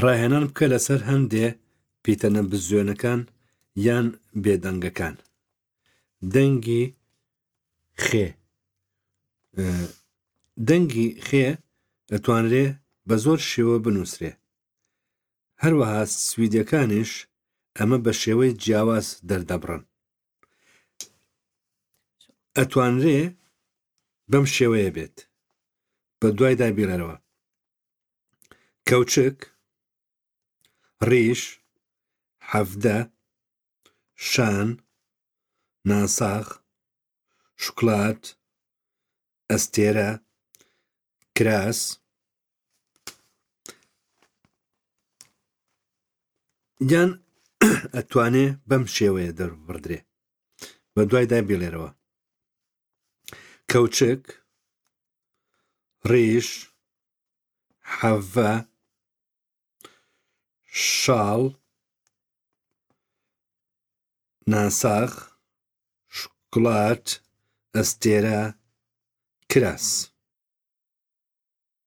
ڕاهێنان بکە لەسەر هەندێ پیتە نەبزوێنەکان یان بێدەنگەکان. دەنگی خێ دەنگی خێ دەتوانرێ بە زۆر شێوە بنووسرێ. هەروەها سویدیەکانیش ئەمە بە شێوەی جیاواز دەردەبڕن. ئەتوانرێ بەم شێوەیە بێت. بە دوایدا بیڵێرەوە. کەوچک، ڕیش، 17، شان، ناساغ، شوکلات، ئەستێرە، کراس، یان ئەتوانێ بەم شێوەیە دەرببڕدرێ بە دوایدا بیڵێرەوە کەوچک، ڕیش، حەڤە، شاڵ، ناساغ، شوکلات، ئەستێرە، کراس.